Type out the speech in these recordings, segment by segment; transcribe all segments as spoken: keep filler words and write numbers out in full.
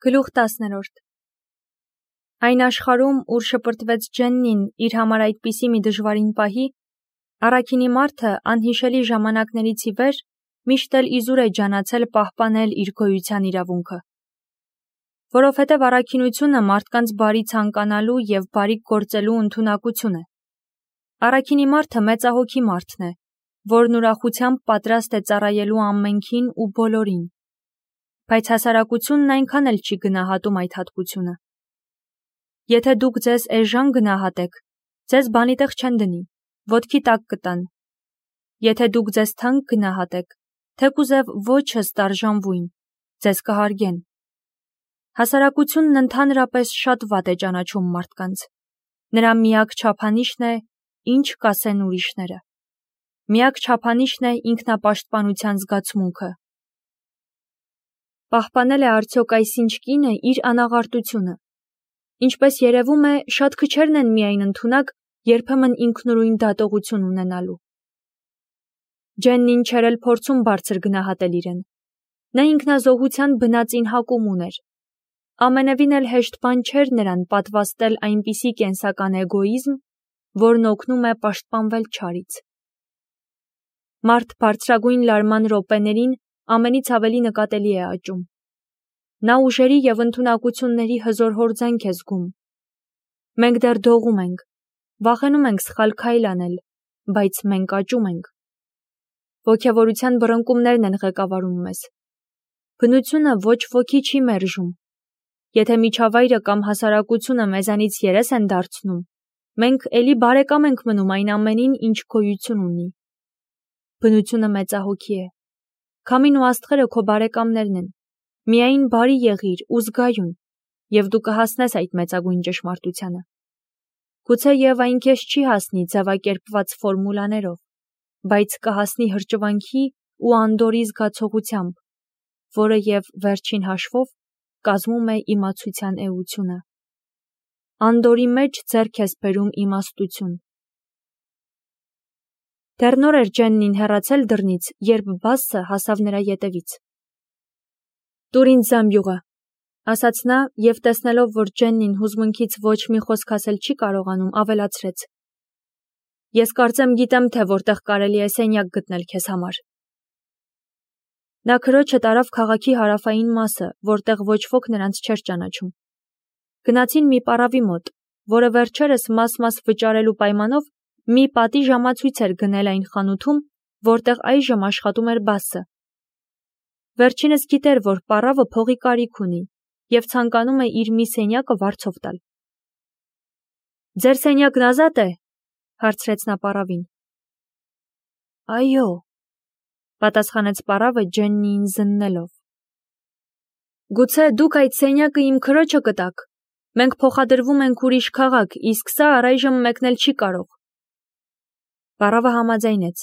Գլուխ տասներորդ Այն աշխարհում, ուր շպրտվեց Ջեննին իր համար այդպիսի մի դժվարին պահի, առաքինի մարդը անհիշելի ժամանակներից ի վեր միշտ էլ իզուր է ջանացել պահպանել իր գոյության իրավունքը։ Որովհետև առաքինությունը մարդկանց բարի ցանկանալու և բարիք գործելու ընդունակություն է։ Առաքինի մարդը մեծահոգի մարդն է, որն ուրախությամբ պատրաստ է ծառայելու ամենքին ու բոլորին։ Բայց հասարակությունն այնքան էլ չի գնահատում այդ հատկությունը։ Եթե դուք ձեզ էժան գնահատեք, ձեզ բանի տեղ չեն դնի, ոտքի տակ կտան։ Եթե դուք ձեզ թանկ գնահատեք, թեկուզև ոչը ստարժանվույն, ձեզ կհարգեն։ Հասարակությունն ընդհանրապես շատ վատ է ճանաչում մարդկանց։ Նրա միակ չափանիշն է, ինչ կասեն ուրիշները։ Միակ չափանիշն է ինքնապաշտպանության զգացմունքը։ Պահպանել է արդյոք այսինչ կինը իր անաղարտությունը։ Ինչպես երևում է, շատ քչերն են միայն ընդունակ, երբեմն ինքնուրույն դատողություն ունենալու։ Ջեննին չէր էլ փորձում բարձր գնահատել իրեն։ Նա ինքնազոհության բնածին հակում ուներ։ Ամենևին էլ հեշտ բան չէր նրան պատվաստել այնպիսի կենսական էգոիզմ, որն օգնում է պաշտպանվել չարից։ Մարդ բարձրագույն լարման րոպեներին ամենից ավելի նկատելի է աճում։ Նա ուժերի և ընդունակությունների հզոր հորձանք է զգում։ Մենք դեռ դողում ենք, վախենում ենք սխալ քայլ անել, բայց մենք աճում ենք։ Ոգևորության բռնկումներն են ղեկավարում մեզ։ Բնությունը ոչ ոքի չի մերժում։ Եթե միջավայրը կամ հասարակությունը մեզանից երես են դարձնում, մենք էլի բարեկամ ենք մնում այն ամենին, ինչ գոյություն ունի։ Բնությունը մեծահոգի է։ Քամին ու աստղերը քո բարեկամներն են։ Միայն բարի եղիր ու զգայուն, և դու կհասնես այդ մեծագույն ճշմարտությանը։ Գուցե և այն քեզ չի հասնի ձևակերպված ֆորմուլաներով, բայց կհասնի հրճվանքի ու անդորրի զգացողությամբ, որը և վերջին հաշվով կազմում է իմացության էությունը։ Անդորրի մեջ ձեռք ես բերում իմաստություն։ Դեռ նոր էր Ջեննին հեռացել դռնից, երբ Բասսը հասավ նրա ետևից։ «Տուր ինձ զամբյուղը», ասաց նա և տեսնելով, որ Ջեննին հուզմունքից ոչ մի խոսք ասել չի կարողանում, ավելացրեց. «Ես կարծեմ գիտեմ, թե որտեղ կարելի է սենյակ գտնել քեզ համար»։ Նա քրոջը տարավ քաղաքի հարավային մասը, որտեղ ոչ ոք նրանց չէր ճանաչում։ Գնացին մի պառավի մոտ, որը վերջերս մաս-մաս վճարելու պայմանով մի պատի ժամացույց էր գնել այն խանութում, որտեղ այժմ աշխատում էր Բասսը։ Վերջինս գիտեր, որ պառավը փողի կարիք ունի և ցանկանում է իր մի սենյակը վարձով տալ։ «Ձեր սենյակն ազատ է», հարցրեց նա պառավին։ «Այո», պատասխանեց պառավը Ջեննիին զննելով։ «Գուցե դուք այդ սենյակը իմ քրոջը կտաք։ Մենք փոխադրվում ենք ուրիշ քաղաք, իսկ սա առայժմ մեկնել չի կարող»։ Պառավը համաձայնեց,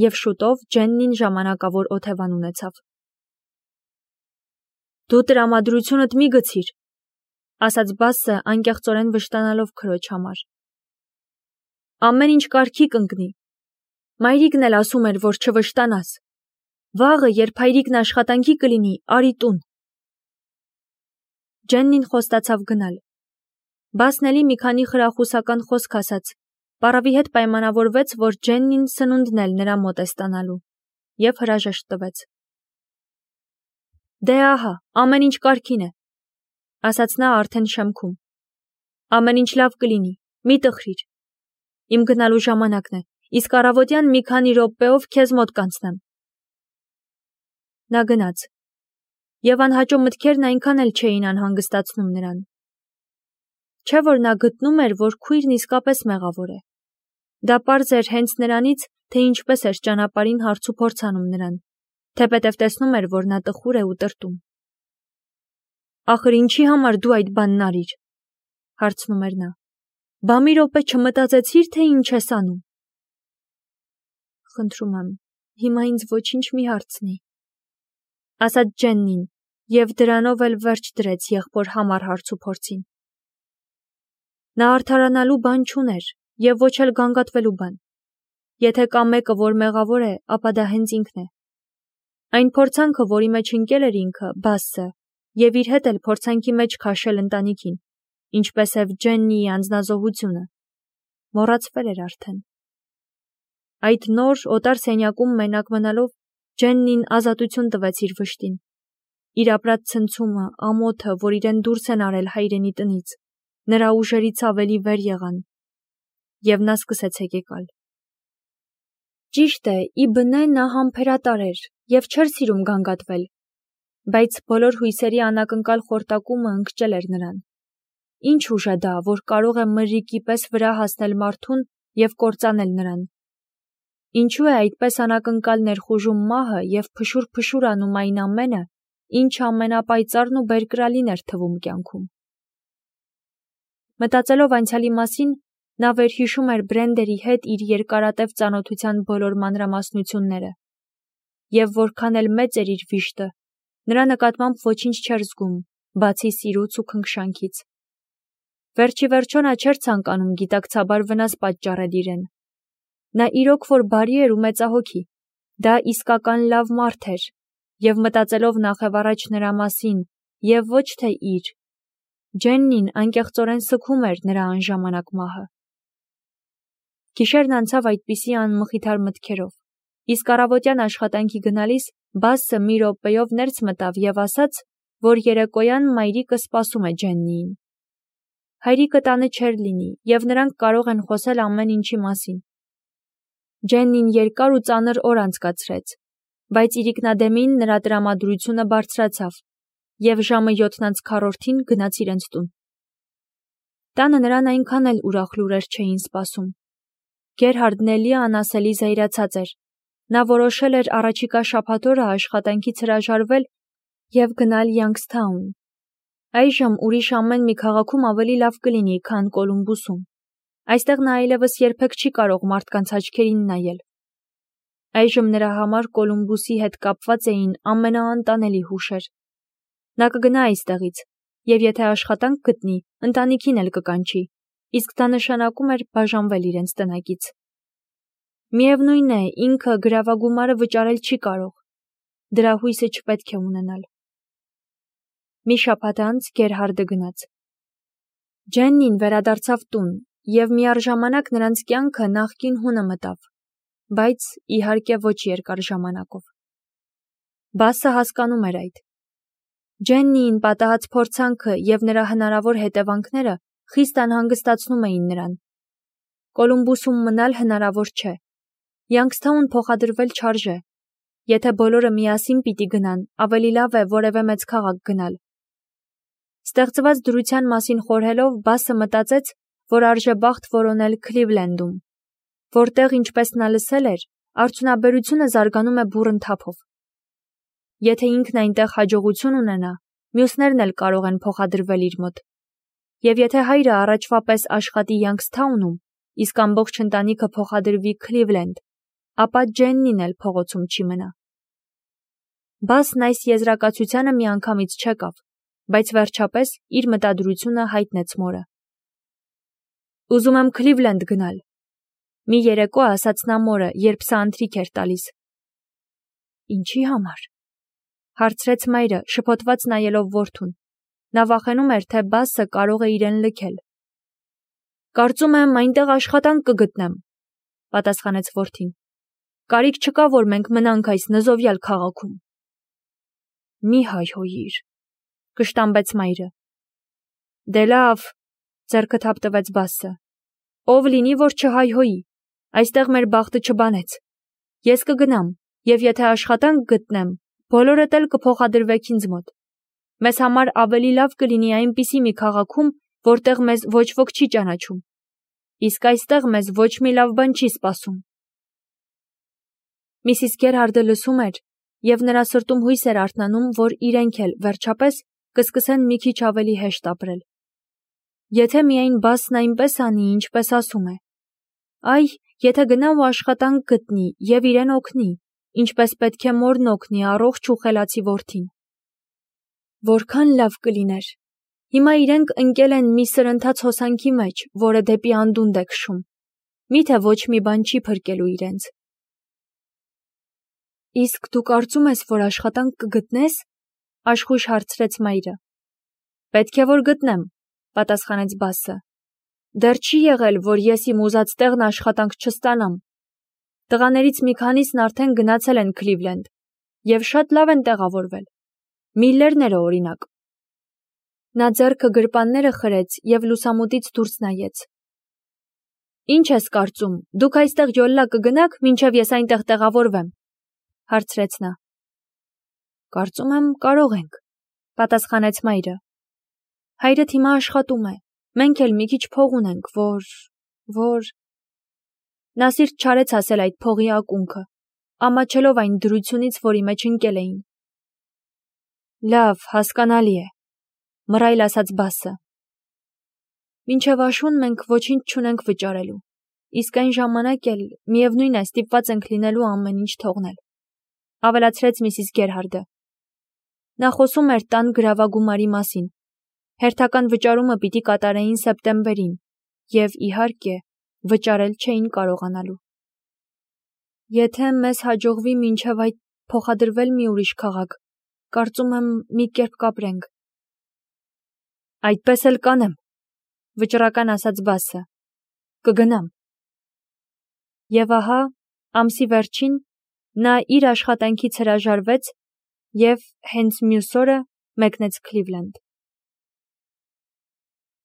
և շուտով Ջեննին ժամանակավոր օթևան ունեցավ։ «Դու տրամադրությունդ մի գցիր», ասաց Բասսը անկեղծորեն վշտանալով քրոջ համար։ «Ամեն ինչ կարգի կընկնի։ Մայրիկն էլ ասում էր, որ չվշտանաս։ Վաղը, երբ հայրիկն աշխատանքի կլինի, արի տուն»։ Ջեննին խոստացավ գնալ։ Բասսն էլի մի քանի խրախուսական խոսք ասաց, պառավի հետ պայմանավորվեց, որ Ջեննին սնունդն էլ նրա մոտ է ստանալու, և հրաժեշտ տվեց։ «Դե ահա, ամեն ինչ կարգին է», ասաց նա արդեն շեմքում։ «Ամեն ինչ լավ կլինի, մի տխրիր։ Իմ գնալու ժամանակն է, իսկ առավոտյան մի քանի րոպեով քեզ մոտ կանցնեմ»։ Նա գնաց, և անհաճո մտքերն այնքան էլ չէին անհանգստացնում նրան։ Չէ՞ որ նա գտնում էր, որ քույրն իսկապես մեղավոր է։ Դա պարզ էր հենց նրանից, թե ինչպես էր ճանապարհին հարցուփորձ անում նրան, թեպետև տեսնում էր, որ նա տխուր է ու տրտում։ «Ախր ինչի համար դու այդ բանն արիր», հարցնում էր նա։ «Բա մի րոպե չմտածեցի՞ր, թե ինչ ես անում»։ «Խնդրում եմ, հիմա ինձ ոչինչ մի հարցնի», ասաց Ջեննին, և դրանով էլ վերջ դրեց եղբոր համառ հարցուփորձին։ Նա արդարանալու բան չուներ և ոչ էլ գանգատվելու բան։ Եթե կա մեկը, որ մեղավոր է, ապա դա հենց ինքն է։ Այն փորձանքը, որի մեջ ընկել էր ինքը, Բասսը, և իր հետ էլ փորձանքի մեջ քաշել ընտանիքին, ինչպես և Ջեննիի անձնազոհությունը, մոռացվել էր արդեն։ Այդ նոր օտար սենյակում մենակ մնալով Ջեննին ազատություն տվեց իր վշտին։ Իր ապրած ցնցումը, ամոթը, որ իրեն դուրս են արել հայրենի տնից, նրա ուժերից ավելի վեր եղան, և նա սկսեց հեկեկալ։ Ճիշտ է, ի բնե նա համբերատար էր և չէր սիրում գանգատվել, բայց բոլոր հույսերի անակնկալ խորտակումը ընկճել էր նրան։ Ինչ ուժ է դա, որ կարող է մրրիկի պես վրա հասնել մարդուն և կործանել նրան։ Ինչու է այդպես անակնկալ ներխուժում մահը և փշուր-փշուր անում այն ամենը, ինչը ամենապայծառն ու բերկրալին էր թվում կյանքում։ Մտածելով անցյալի մասին, նա վերհիշում էր Բրենդերի հետ իր երկարատև ծանոթության բոլոր մանրամասնությունները, և որքան էլ մեծ էր իր վիշտը, նրա նկատմամբ ոչինչ չէր զգում, բացի սիրուց ու քնքշանքից։ Վերջիվերջո նա չէր ցանկանում գիտակցաբար վնաս պատճառել իրեն։ Նա իրոք որ բարի էր ու մեծահոգի, դա իսկական լավ մարդ էր, և մտածելով նախևառաջ նրա մասին, և ոչ թե իր, Ջեննին անկեղծորեն սգում էր նրա անժամանակ մահը։ Գիշերն անցավ այդպիսի անմխիթար մտքերով, իսկ առավոտյան աշխատանքի գնալիս Բասսը մի րոպեով ներս մտավ և ասաց, որ երեկոյան մայրիկը սպասում է Ջեննիին։ Հայրիկը տանը չէր լինի, և նրանք կարող են խոսել ամեն ինչի մասին։ Ջեննին երկար ու ծանր օր անցկացրեց, բայց իրիկնադեմին նրա տրամադրությունը բարձրացավ, և ժամը յոթն անց քառորդին գնաց իրենց տուն։ Տանը նրան այնքան էլ ուրախ լուրեր չէին սպասում։ Գերհարդն էլի անասելի զայրացած էր։ Նա որոշել էր առաջիկա շաբաթ օրը աշխատանքից հրաժարվել և գնալ Յանգսթաուն։ Այժմ ուրիշ ամեն մի քաղաքում ավելի լավ կլինի, քան Կոլումբուսում։ Այստեղ նա այլևս երբեք չի կարող մարդկանց աչքերին նայել։ Այժմ նրա համար Կոլումբուսի հետ կապված էին ամենաանտանելի հուշեր։ Նա կգնա այստեղից, և եթե աշխատանք գտնի, ընտանիքին էլ կկանչի, իսկ դա նշանակում էր բաժանվել իրենց տնակից։ Միևնույն է, ինքը գրավագումարը վճարել չի կարող։ Դրա հույսը չպետք է ունենալ։ Մի շաբաթ անց Գերհարդը գնաց։ Ջեննին վերադարձավ տուն, և միառժամանակ նրանց կյանքը նախկին հունը մտավ, բայց, իհարկե, ոչ երկար ժամանակով։ Բասսը հասկանում էր այդ։ Ջեննիին պատահած փորձանքը և նրա հնարավոր հետևանքները խիստ անհանգստացնում էին նրան։ Կոլումբուսում մնալ հնարավոր չէ։ Յանգսթաուն փոխադրվել չարժե։ Եթե բոլորը միասին պիտի գնան, ավելի լավ է որևէ մեծ քաղաք գնալ։ Ստեղծված դրության մասին խորհելով, Բասսը մտածեց, որ արժեբախտ որոնել Քլիվլենդում, որտեղ, ինչպես նա լսել էր, արդյունաբերությունը զարգանում է բուռն թափով։ Եթե ինքն այնտեղ հաջողություն ունենա, մյուսներն էլ կարող են փոխադրվել իր մոտ։ Եվ եթե հայրը առաջվա պես աշխատի Յանգսթաունում, իսկ ամբողջ ընտանիքը փոխադրվի Քլիվլենդ, ապա Ջեննին էլ փողոցում չի մնա։ Բասսն այս եզրակացությանը միանգամից չեկավ, բայց վերջապես իր մտադրությունը հայտնեց մորը։ Ուզում եմ Քլիվլենդ գնալ, մի երեկո ասաց նա մորը, երբ սա ընթրիք էր տալիս։ Ինչի համար, հարցրեց մայրը, շփոթված նայելով որդուն։ Նա վախենում էր, թե Բասսը կարող է իրեն լքել։ Կարծում եմ, այնտեղ աշխատանք կգտնեմ, պատասխանեց որդին։ Կարիք չկա, որ մենք մնանք այս նզովյալ քաղաքում։ Մի հայհոյիր, կշտամբեց մայրը։ Դե լավ, ձեռքը թափ տվեց Բասսը։ Ով լինի, որ չհայհոյի, այստեղ մեր բախտը չբանեց։ Ես կգնամ, և եթե աշխատանք գտնեմ, բոլորդ էլ կփոխադրվեք ինձ մոտ։ Մեզ համար ավելի լավ կլինի այնպիսի մի քաղաքում, որտեղ մեզ ոչ ոք չի ճանաչում։ Իսկ այստեղ մեզ ոչ մի լավ բան չի սպասում։ Միսիս Գերհարդը լսում էր, և նրա սրտում հույս էր արթնանում, որ իրենք էլ, վերջապես, կսկսեն մի քիչ ավելի հեշտ ապրել։ Եթե միայն Բասսն այնպես անի, ինչպես ասում է։ Այ, եթե գնա ու աշխատանք գտնի և իրեն օգնի, ինչպես պետք է մորն օգնի առողջ ու խելացի որդին։ Որքան լավ կլիներ։ Հիմա իրենք ընկել են մի սրընթաց հոսանքի մեջ, որը դեպի անդունդ է քշում։ Միթե ոչ մի բան չի փրկելու իրենց։ Իսկ դու կարծում ես, որ աշխատանք կգտնես, Աշխույժ հարցրեց մայրը։ Պետք է որ գտնեմ, պատասխանեց Բասը։ Դեռ չի եղել, որ ես իմ ուզած տեղն աշխատանք չստանամ։ Տղաներից մի քանիսն արդեն գնացել են Քլիվլենդ եւ շատ լավ են տեղավորվել։ Միլլերները օրինակ։ Նա ձեռքը գրպանները խրեց եւ լուսամուտից դուրս նայեց։ Ինչ ես կարծում, դուք այստեղ յոլլա կգնաք, մինչև ես այնտեղ տեղավորվեմ, հարցրեց նա։ Կարծում եմ կարող ենք, պատասխանեց մայրը։ Հայրդ հիմա աշխատում է, մենք էլ մի քիչ փող ունենք, որ, որ… Նա սիրտ չարեց ասել այդ փողի ակունքը, ամաչելով այն դրությունից, որի մեջ ընկել էին։ Լավ, հասկանալի է, մռայլ ասաց Բասը։ Մինչև աշուն մենք ոչինչ չունենք վճարելու, իսկ այն ժամանակ էլ միևնույն է ստիպված ենք լինելու ամեն ինչ թողնել, ավելացրեց Միսիս Գերհարդը։ Նա խոսում էր տան գրավագումարի մասին։ Հերթական վճարումը պիտի կատարեին սեպտեմբերին, և, իհարկե, վճարել չէին կարողանալու։ Եթե մեզ հաջողվի մինչև այդ փոխադրվել մի ուրիշ քաղաք, կարծում եմ մի կերպ կապրենք։ Այդպես էլ կանեմ, վճռական ասաց Բասը։ Կգնամ։ Եվ ահա, ամսի վերջին նա իր աշխատանքից հրաժարվեց և հենց մյուս օրը մեկնեց Քլիվլենդ։